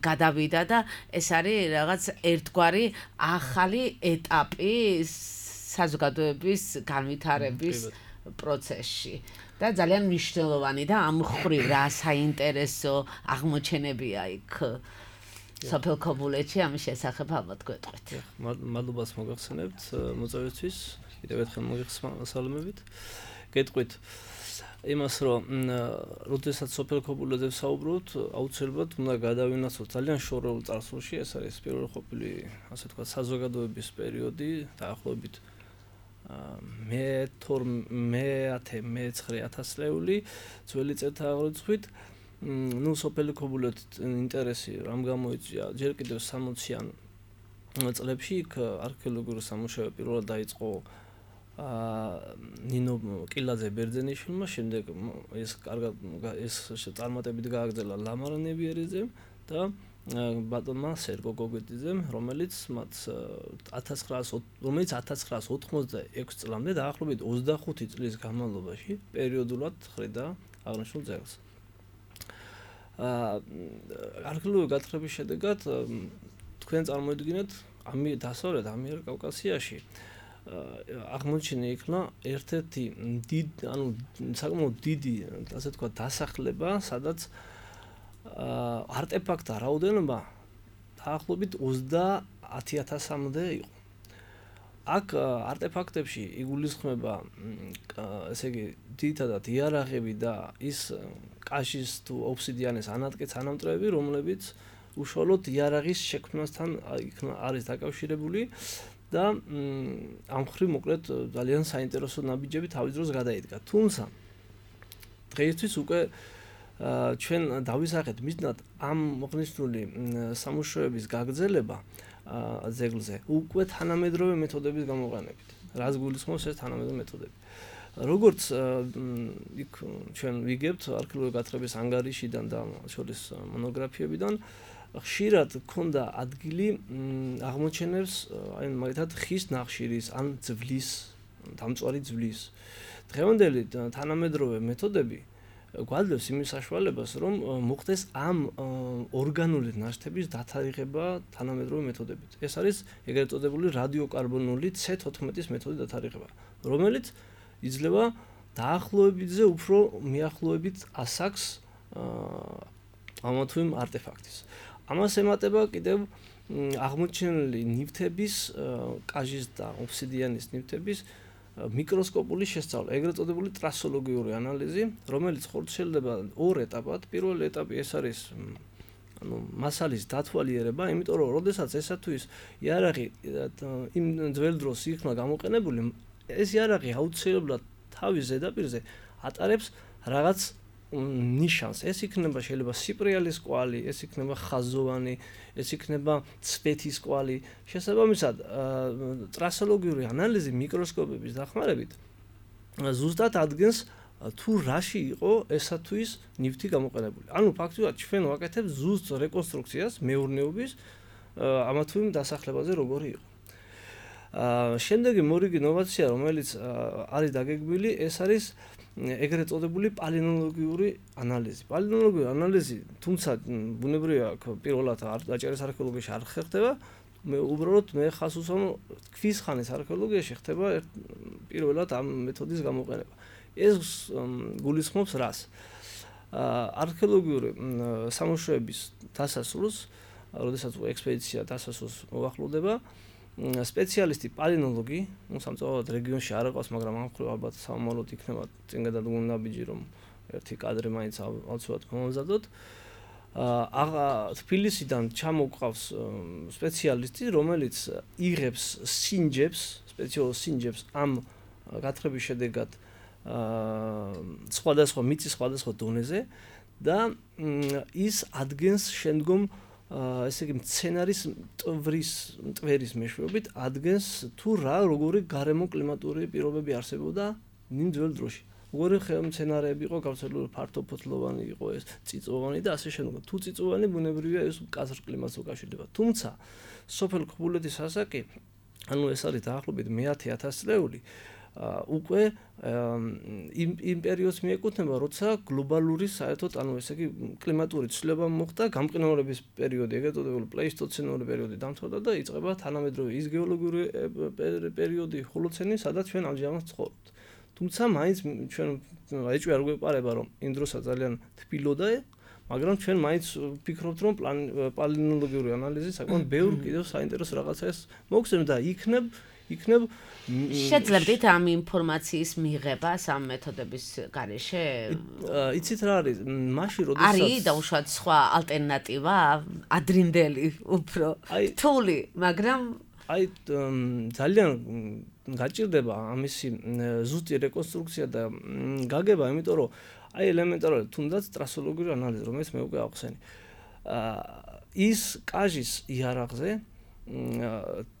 გადავიდა და ეს არის რაღაც ერთგვარი ახალი ეტაპი საზოგადოების განვითარების პროცესში და ძალიან მნიშვნელოვანი და ამ ხრივ რა საინტერესო აღმოჩენებია იქ სოფელ ქობულეთში ამის შესახებ ალბათ გვეტყვით. მადლობას მოგახსენებთ მოწვევისთვის, კიდევ ერთხელ მოგიხსნებით. გეტყვით იმას, რომ როდესაც სოფელ ქობულეთზე ვსაუბრობთ, აუცილებლად უნდა გადავინაცვლოთ ძალიან შორეულ წარსულში, ეს არის პირველი ყოფილი, ასე ვთქვათ, საზოგადოების პერიოდი, დაახლოებით მე-19 წლეული ძველი წელთა აღრიცხვით. ნუ სოფელი ქობულეთის ინტერესი რამ გამოიწვია ჯერ კიდევ 60-იან წლებში იქ არქეოლოგიური სამუშაოები პირველად დაიწყო ნინო კილაძე ბერძენიშვილმა, შემდეგ ეს წარმატებით გააგრძელა ლამარა ნებიერიძემ და ბატონმა სერგო გოგეტიძემ, რომელიც 1986 წლამდე დაახლოებით 25 წლის განმავლობაში პერიოდულად ხრიდა აღნიშნულ ძეგლს. არქეოლოგიური გათხრების შედეგად თქვენ წარმოიდგინეთ დასავლეთ ამიერკავკასიაში აღმოჩენილი იქნა ერთ-ერთი საკმაოდ დიდი, ასე ვთქვათ, დასახლება, სადაც არტეფაქტთა რაოდენობა დაახლოებით 30,000-მდე იყო. აქ არტეფაქტებში იგულისხმება, ესე იგი, ძირითადად იარაღები და ის კაშის თუ ოფსიდიანის ანამტვრევები, რომლებიც უშუალოდ იარაღის შექმნასთან არის დაკავშირებული და ამ მხრივ მოკლედ ძალიან საინტერესო ნაბიჯები თავის დროს გადაიდგა. თუმცა დღეისთვის უკვე ჩვენ დავისახეთ მიზნად ამ მოხნიშნული სამუშაოების გაგრძელება ძეგლზე უკვე თანამედროვე მეთოდების გამოყენებით. რას გულისხმობს ეს თანამედროვე მეთოდები? როგორც იქ ჩვენ ვიგებთ არქეოლოგიური გათხრების ანგარიშიდან და შორის მონოგრაფიებიდან, ხშირად ქონდა ადგილი აღმოჩენებს, აი მაგალითად ხის ნახშირის ან ძვლის, დამწვარი ძვლის. დღევანდელი თანამედროვე მეთოდები გვაძლევს იმის საშუალებას, რომ მოხდეს ამ ორგანული ნაშთების დათარიღება თანამედროვე მეთოდებით. ეს არის ეგრეთ წოდებული რადიოკარბონული C14-ის მეთოდის დათარიღება, რომელიც იძლევა დაახლოებითზე უფრო მიახლოებით ასაკს ამა თუ იმ არტეფაქტის. ამას ემატება კიდევ აღმოჩენილი ნივთების, კაჟის და ოფსიდიანის ნივთების მიკროსკოპული შესწავლა, ეგრეთ წოდებული ტრასოლოგიური ანალიზი, რომელიც ხორციელდება ორ ეტაპად. პირველი ეტაპი ეს არის მასალის დათვალიერება, იმიტომ რომ როდესაც ესა თუ ის იარაღი იმ ძველ დროს იქნა გამოყენებული, ეს იარაღი აუცილებლად თავის ზედაპირზე ატარებს რაღაც ნიშანს. ეს იქნება შეიძლება სიპრიალის კვალი, ეს იქნება ხაზოვანი, ეს იქნება ცვეთის კვალი. შესაბამისად, ტრასოლოგიური ანალიზი მიკროსკოპების დახმარებით ზუსტად ადგენს თუ რაში იყო ესა თუ ის ნივთი გამოყენებული. ანუ ფაქტობრივად ჩვენ ვაკეთებთ ზუსტ რეკონსტრუქციას მეურნეობის ამა თუ იმ დასახლებაზე როგორი იყო. შემდეგი მორიგი ინოვაცია, რომელიც არის დაგეგმილი, ეს არის ეგრეთ წოდებული პალეონტოლოგიური ანალიზი. პალეონტოლოგიური ანალიზი, თუმცა ბუნებრივია, პირველად აჭარის არქეოლოგიაში არ ხერხდება, უბრალოდ მე ხას უსვამ ქვის ხანის არქეოლოგიაში ხდება პირველად ამ მეთოდის გამოყენება. ეს გულისხმობს რას? არქეოლოგიური სამუშაოების დასასრულს, როდესაც ექსპედიცია დასასრულს მოახლოვდება, სპეციალისტი პალეონტოლოგი, სამწუხაროდ რეგიონში არ აყავს, მაგრამ ამ მხრივ ალბათ სამომავლოდ იქნება წინ გადადგმული ნაბიჯი, რომ ერთი კადრი მაინც აუცილებლად მომზადოთ. თბილისიდან ჩამოყავს სპეციალისტი, რომელიც იღებს სინჯებს, სპეციალურ სინჯებს ამ გათხრების შედეგად სხვადასხვა მიწის სხვადასხვა დონეზე და ის ადგენს შემდგომ ესე იგი მცენარის მტვერის მეშვეობით ადგენს თუ რა როგორი გარემო კლიმატური პირობები არსებობდა ნინ ძველ დროში. როგორი მცენარეები იყო გავრცელებული, ფართოფოთლოვანი იყო ეს, წიწვოვანი და ასე შემდეგ. თუ წიწვოვანი ბუნებრივია ეს მკაცრ კლიმატს უკავშირდება. თუმცა სოფელ ქობულეთის ასაკი, ანუ ეს არის დაახლოებით მე-10,000 წლეული, უკვე იმ პერიოდს მიეკუთვნება, როცა გლობალური საერთოდ, ანუ ესე იგი კლიმატური ცვლილება მოხდა, გამყინვარების პერიოდი, ეგრეთ წოდებული პლეისტოცენური პერიოდი დამთავრდა და იწყება თანამედროვე ის გეოლოგიური პერიოდი, ჰოლოცენი, სადაც ჩვენ ამჟამად ცხოვრობთ. თუმცა მაინც ჩვენ ეჭვი არ გვეპარება, რომ იმ დროსაც ძალიან თბილოდა, მაგრამ ჩვენ მაინც ვფიქრობთ, რომ პალეონტოლოგიური ანალიზი საკმაოდ ბევრ კიდევ საინტერესო რაღაცას მოგცემს და იქნებ შეძლებდით ამ ინფორმაციის მიღება ამ მეთოდების გარეშე? იცით რა არის? მაშინ როდესაც არის დაუშვათ სხვა ალტერნატივა, ადრინდელი, უფრო რთული, მაგრამ ძალიან გაჭირდება ამისი ზუსტი რეკონსტრუქცია და გაგება, იმიტომ რომ ელემენტარულად თუნდაც ტრასოლოგიური ანალიზი, რომელიც მე უკვე ახსენე. ის კაჟის იარაღზე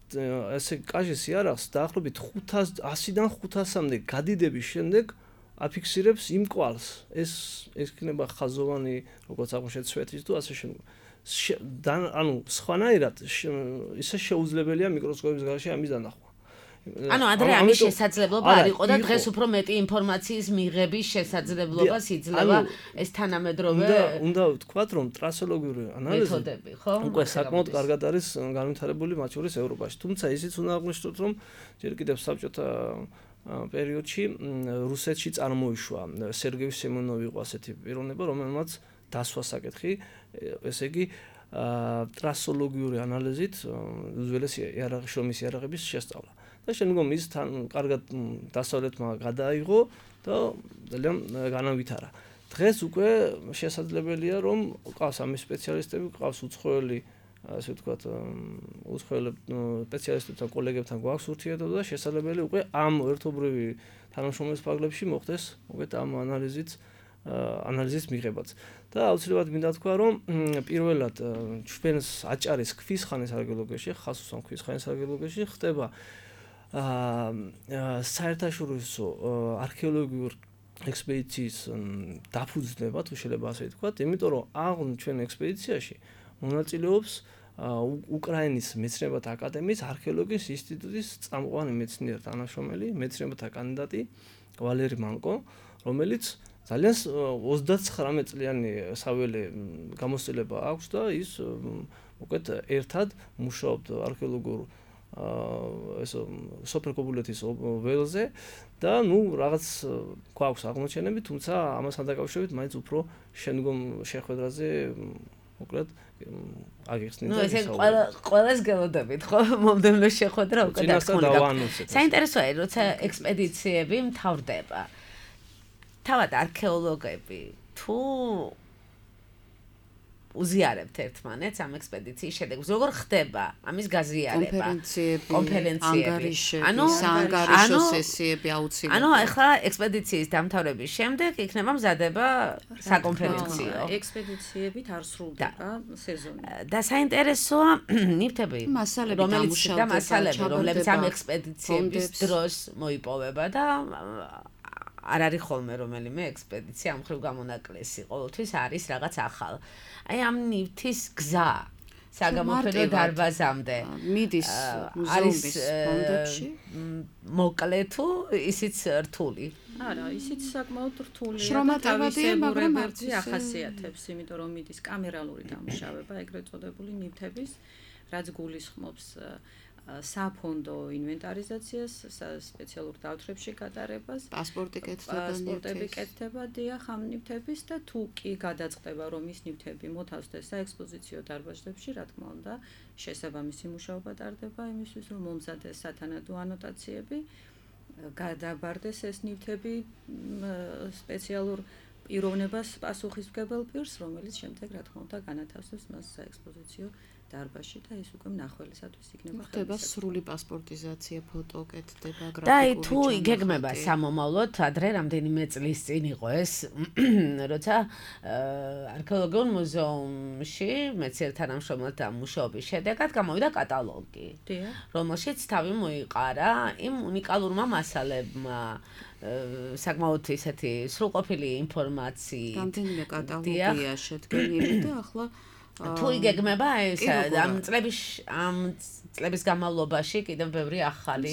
ესე კაჟის იარაღს დაახლოებით 100-დან 500-მდე გადიდების შემდეგ აფიქსირებს იმ კვალს. ეს იქნება ხაზოვანი, როგორც აღმოჩნდა სვეთის თუ ასე შემდეგ. ანუ სხვანაირად ისე შეუძლებელია მიკროსკოპის გარეშე ამის დანახვა. ანუ ადრე ამის შესაძლებლობა არ იყო და დღეს უფრო მეტი ინფორმაციის მიღების შესაძლებლობას იძლევა ეს თანამედროვე უნდა ვთქვათ, რომ ტრასოლოგიური ანალიზი მეთოდები, ხო? უკვე საკმაოდ კარგად არის განვითარებული მათ შორის ევროპაში. თუმცა ისიც უნდა აღვნიშნოთ, რომ ჯერ კიდევ საბჭოთა პერიოდში რუსეთში წარმოიშვა სერგეი სემონოვი იყო ასეთი პიროვნება, რომელმაც დასვა საკითხი, ესე იგი ტრასოლოგიური ანალიზით უძველესი იარაღის შრომის იარაღების შესწავლა. და შემდგომ ის თან კარგად დასავლეთმა გადააიღო და ძალიან განავითარა. დღეს უკვე შესაძლებელია, რომ ყავს ამის სპეციალისტები, ყავს უცხოელი, ასე ვთქვათ, უცხოელი სპეციალისტებთან, კოლეგებთან გვაქვს ურთიერთობა და შესაძლებელი უკვე ამ ერთობრივი თანამშრომლობის ფარგლებში მოხდეს უკეთ ამ ანალიზის მიღებაც. და აუცილებლად მინდა თქვა, რომ პირველად ჩვენს აჭარის ქვის ხანის არქეოლოგიაში, ხასუსან ქვის ხანის არქეოლოგიაში ხდება საერთაშორისო არქეოლოგიურ ექსპედიციის დაფუძნება, თუ შეიძლება ასე ვთქვათ, იმიტომ რომ აღ ჩვენ ექსპედიციაში მონაწილეობს უკრაინის მეცნიერებათა აკადემიის არქეოლოგიის ინსტიტუტის წამყვანი მეცნიერი თანამშრომელი, მეცნიერებათა კანდიდატი ვალერი მანკო, რომელიც ძალიან 39 წლიანი საველე გამოცდილება აქვს და ის უკეთ ერთად მუშაობთ არქეოლოგიურ ესო სოფრკობულეთის ველზე და ნუ რაღაც გვაქვს აღმოჩენები, თუმცა ამასთან დაკავშირებით მაინც უფრო შემდგომ შეხვედრაზე მოკლედ აგიხსნით. ნუ ესე ყველას გელოდებით, ხო? მომდევნო შეხვედრა უკვე დაგხმარდა. საინტერესოა, როცა ექსპედიციები მთავრდება. თავად არქეოლოგები თუ უზიარებთ ერთმანეთს ამ ექსპედიციის შედეგს, როგორ ხდება ამის გაზიარება? კონფერენციები, საანგარიშო სესიები აუცილებლად. ანუ ახლა ექსპედიციის დამთავრების შემდეგ იქნება მზადება საკონფერენციო. ექსპედიციებით არ სრულდება სეზონი. და საინტერესოა ნივთები, რომლებიც ამ ექსპედიციების დროს მოიპოვება და არ არის ხოლმე რომელიმე ექსპედიცია ამ ხრივ გამონაკლისი, ყოველთვის არის რაღაც ახალ. აი ამ ნივთის გზა საგამოფენო დარბაზამდე მიდის მუზეუმის ფონდებში მოკლე თუ ისიც რთული? არა, ისიც საკმაოდ რთულია. შრომატევადია, მაგრამ ბერძი ახასიათებს, იმიტომ რომ მიდის კამერალური დამუშავება, ეგრეთ წოდებული ნივთების, რაც გულისხმობს საფონდო ინვენტარიზაციას, სპეციალურ დავთრებში გატარებას, პასპორტები კეთდება დიახ ამ ნივთების და თუ კი გადაწყდება, რომ ის ნივთები მოთავსდეს საექსპოზიციო დარბაზებში, რა თქმა უნდა, შესაბამისი მუშაობა ტარდება იმისთვის, რომ მომზადდეს სათანადო ანოტაციები, გადაბარდეს ეს ნივთები სპეციალურ პიროვნებას პასუხისმგებელ პირს, რომელიც შემდეგ რა თქმა უნდა განათავსებს მას საექსპოზიციო დარბაზში და ის უკვე მნახველისათვის იქნება ხდება სრული პასპორტიზაცია, ფოტო კეთდება, გრაფიკული. და თუ იგეგმება სამომავლოდ, ადრე რამდენიმე წლის წინ იყო ეს, როცა არქეოლოგიურ მუზეუმში მეცნიერ თანამშრომელთა მუშაობის შედეგად გამოვიდა კატალოგი, რომელშიც თავი მოიყარა იმ უნიკალურმა მასალებმა, საკმაოდ ისეთი სრულყოფილი ინფორმაციით. რამდენიმე კატალოგია შედგენილი და ახლა თუ იგეგმება ეს ამ წლების განმავლობაში კიდევ ბევრი ახალი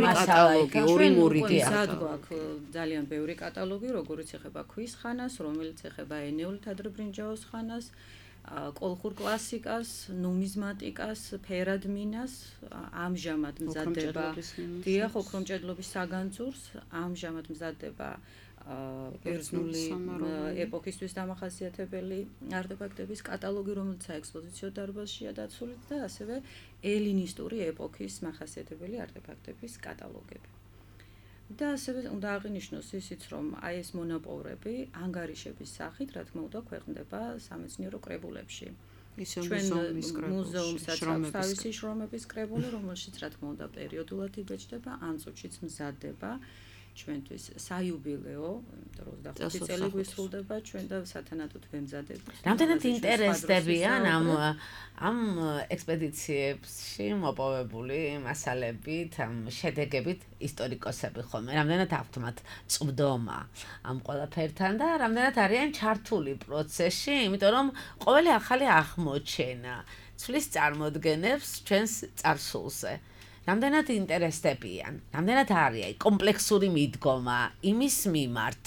კატალოგი, ორი გვაქვს ძალიან ბევრი კატალოგი, როგორც ეხება ქვის ხანას, რომელიც ეხება ენეოლით ადრებრინჯაოს ხანას, კოლხურ კლასიკას, ნუმიზმატიკას, ფერადმინას, ამჟამად მზადდება დიახ, ოქრომჭედლობის საგანძურს, ამჟამად მზადდება ბერძნული ეპოქისთვის დამახასიათებელი არტეფაქტების კატალოგი, რომელიც საექსპოზიციო დარბაზშია დაცული და ასევე ელინისტური ეპოქის მახასიათებელი არტეფაქტების კატალოგები. და ასევე უნდა აღინიშნოს ისიც, რომ აი ეს მონაპოვრები ანგარიშების სახით, რა თქმა უნდა, ქვეყნდება სამეცნიერო კრებულებში. ჩვენ მუზეუმსაც აქვს თავისი შრომების კრებული, რომელშიც რა თქმა უნდა პერიოდულად იბეჭდება, ან წუთშიც მზადდება ჩვენთვის საიუბილეო, იმიტომ რომ 25 წელი გვისრულდება ჩვენ და სათანადოდ ვემზადებით. რამდენად ინტერესდებიან ამ ექსპედიციებში მოპოვებული მასალებით, ამ შედეგებით ისტორიკოსები ხოლმე? რამდენად აქვთ მათ წვდომა ამ ყველაფერთან და რამდენად არიან ჩართული პროცესში, იმიტომ რომ ყოველი ახალი აღმოჩენა ცვლის წარმოდგენებს ჩვენს წარსულზე. რამდენად ინტერესდებიან, რამდენად არის კომპლექსური მიდგომა იმის მიმართ,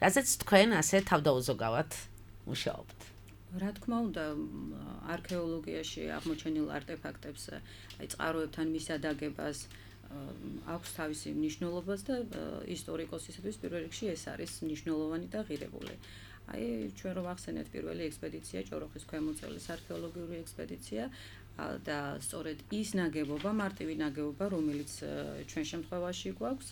რასაც თქვენ ასე თავდაუზოგავად მუშაობთ. რა თქმა უნდა, არქეოლოგიაში აღმოჩენილ არტეფაქტებს, აი წყაროებთან მისადაგებას აქვს თავისი მნიშვნელობაც და ისტორიკოსისთვის პირველ რიგში ეს არის მნიშვნელოვანი და ღირებული. აი ჩვენ რომ ახსენეთ პირველი ექსპედიცია, ჭოროხის ქვემოწელის არქეოლოგიური ექსპედიცია და სწორედ ის ნაგებობა, მარტივი ნაგებობა, რომელიც ჩვენ შემთხვევაში გვაქვს,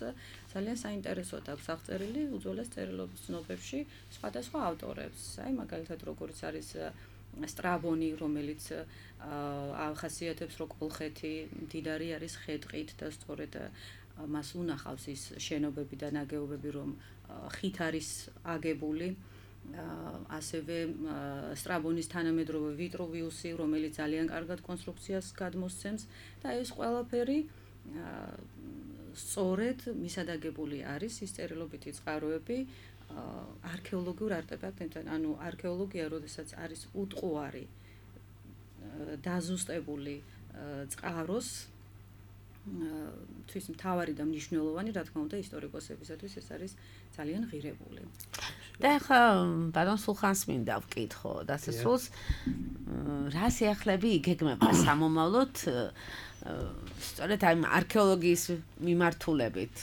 ძალიან საინტერესოდ აქვს აღწერილი უძველეს წერილობის ცნობებში სხვადასხვა ავტორებს. აი მაგალითად როგორც არის სტრაბონი, რომელიც ახასიათებს, რომ კოლხეთი მდიდარი არის ხე-ტყით და სწორედ მას უნახავს ის შენობები და ნაგებობები, რომ ხით არის აგებული. ასევე სტრაბონის თანამედროვე ვიტრუვიუსი, რომელიც ძალიან კარგად კონსტრუქციას გადმოსცემს და ეს ყველაფერი სწორედ მისადაგებული არის ის წერილობითი წყაროები არქეოლოგიურ არტეფაქტებთან, ანუ არქეოლოგია, როდესაც არის უტყუარი დაზუსტებული წყაროს თვის მთავარი და მნიშვნელოვანი, რა თქმა უნდა, ისტორიკოსებისათვის ეს არის ძალიან ღირებული. და ახლა ბატონ სულხანს მინდა ვკითხო, დასასრულს რა სიახლეები იგეგმება სამომავლოდ სწორედ აი არქეოლოგიის მიმართულებით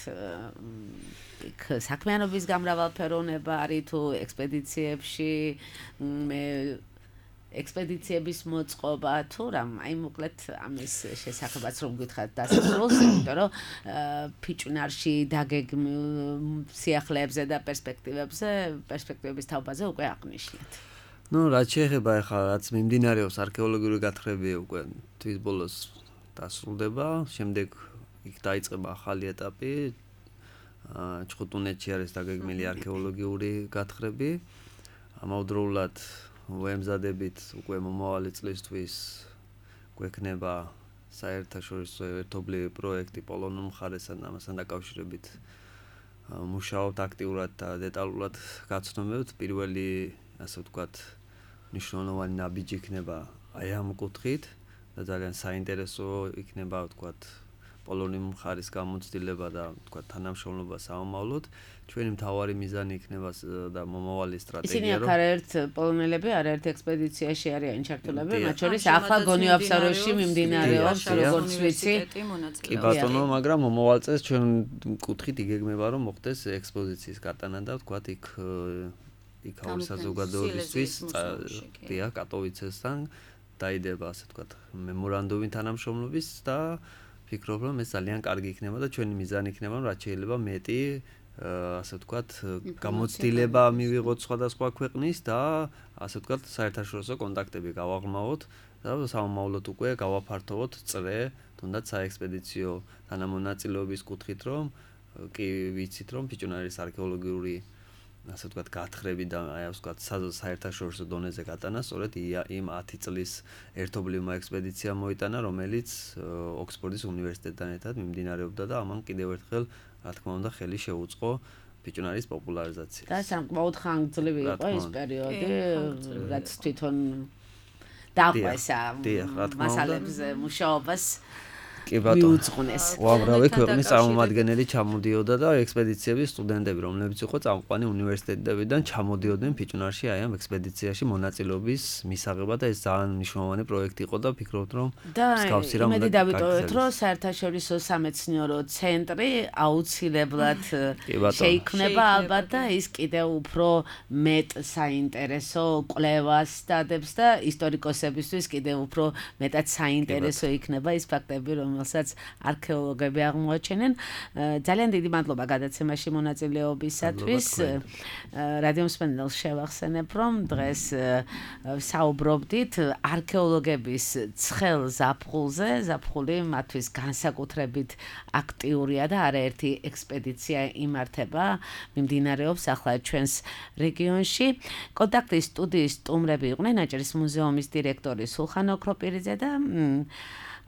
იქ საქმიანობის გამრავალფეროვნება არის თუ ექსპედიციებში მე ექსპედიციების მოწყობა თუ რამ აი მოკლედ ამის შესახებაც რომ გითხრათ დასასრულს, იმიტომ რომ ფიჭვნარში დაგეგმილ სიახლეებზე და პერსპექტივების თაობაზე უკვე აღნიშნეთ. ნუ რაც შეეხება ახლა რაც მიმდინარეობს არქეოლოგიური გათხრები უკვე თვის ბოლოს დასრულდება, შემდეგ იქ დაიწყება ახალი ეტაპი. ჩხუტუნეთში არის დაგეგმილი არქეოლოგიური გათხრები. ამავდროულად ვემზადებით უკვე მომავალი წლისთვის გვექნება საერთაშორისო ერთობლივი პროექტი პოლონურ მხარესთან და ამასთან დაკავშირებით მუშაობთ აქტიურად და დეტალურად გაცნობებთ. პირველი ასე ვთქვათ მნიშვნელოვანი ნაბიჯი იქნება აი ამ კუთხით და ძალიან საინტერესო იქნება ვთქვათ პოლონურ მხარის გამოცდილება და ვთქვათ თანამშრომლობა სამომავლოდ. ჩვენი მთავარი მიზანი იქნება და მომავალი სტრატეგია ისინი არაერთ პოლონელები არაერთ ექსპედიციაში არიან ჩართულები, მათ შორის ახლა გონიო-აბსაროში მიმდინარეობს როგორც ვიცი. კი ბატონო, მაგრამ მომავალ წელს ჩვენ კუთხით იგეგმება რომ მოხდეს ექსპოზიციის გატანა და ვთქვათ იქ აურის საზოგადოებისთვის დიახ კატოვიცესთან დაიდება ასე ვთქვათ მემორანდუმი თანამშრომლობის და ფიქრობ რომ ეს ძალიან კარგი იქნება და ჩვენი მიზანი იქნება რომ რაც შეიძლება მეტი ასე ვთქვათ გამოცდილება მივიღოთ სხვადასხვა ქვეყნის და ასე ვთქვათ საერთაშორისო კონტაქტები გავაღრმავოთ და სამომავლოდ უკვე გავაფართოვოთ წრე თუნდაც საექსპედიციო თანამონაწილეობის კუთხით რომ კი ვიცით რომ ფიჭვნარის არქეოლოგიური ასე ვთქვათ გათხრები და აი ასე ვთქვათ საერთაშორისო დონეზე გატანა სწორედ იმ 10 წლის ერთობლივმა ექსპედიციამ მოიტანა, რომელიც ოქსფორდის უნივერსიტეტთან ერთად მიმდინარეობდა და ამან კიდევ ერთხელ რა თქმა უნდა ხელი შეუწყო ფიჭვნარის პოპულარიზაციას. და სამკმაოდ ხანგრძლივი იყო ეს პერიოდი, რაც თვითონ დაყვესა მასალებზე მუშაობას. მიუძღვნეს. უამრავი ქვეყნის წარმომადგენელი ჩამოდიოდა და ექსპედიციების სტუდენტები, რომლებიც იყო წამყვანი უნივერსიტეტებიდან, ჩამოდიოდნენ ფიჭვნარში აი ამ ექსპედიციაში მონაწილეობის მისაღებად და ეს ძალიან მნიშვნელოვანი პროექტი იყო და ფიქრობთ რომ მსგავსი რამ უნდა დავიტოვოთ, რომ საერთაშორისო სამეცნიერო ცენტრი აუცილებლად შეიქმნება ალბათ და ის კიდევ უფრო მეტ საინტერესო კვლევას დადებს და ისტორიკოსებისთვის კიდევ უფრო მეტად საინტერესო იქნება ის ფაქტები, რომელსაც არქეოლოგები აღმოაჩენენ. ძალიან დიდი მადლობა გადაცემაში მონაწილეობისათვის. რადიო მსმენელს შევახსენებ, რომ დღეს საუბრობდით არქეოლოგების ცხელ ზაფხულზე. ზაფხული მათთვის განსაკუთრებით აქტიურია და არაერთი ექსპედიცია იმართება, მიმდინარეობს ახლა ჩვენს რეგიონში. კონტაქტის სტუდიის სტუმრები იყვნენ აჭარის მუზეუმის დირექტორი სულხან ოქროპირიძე და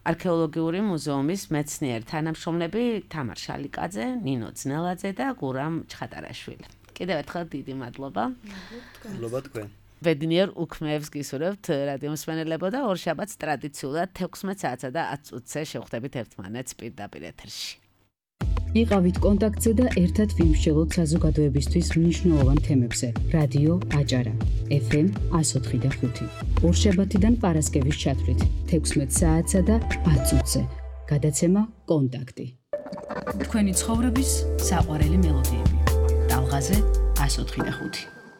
არქეოლოგიური მუზეუმის მეცნიერ თანამშრომლები თამარ შალიკაძე, ნინო ძნელაძე და გურამ ჩხატარაშვილი. კიდევ ერთხელ დიდი მადლობა. მადლობა თქვენ. ბედნიერ უქმეებს გისურვებთ რადიო მსმენელებო და ორშაბათს ტრადიციულად 16 საათსა და 10 წუთზე შევხვდებით ერთმანეთს პირდაპირ ეთერში. იყავით კონტაქტზე და ერთად ვიმსჯელოთ საზოგადოებისთვის მნიშვნელოვან თემებზე. რადიო აჭარა FM 104.5. ორშაბათიდან პარასკევის ჩათვლით 16 საათსა და 10 წუთზე. გადაცემა კონტაქტი. თქვენი ცხოვრების საყვარელი მელოდიები. ტალღაზე 104.5.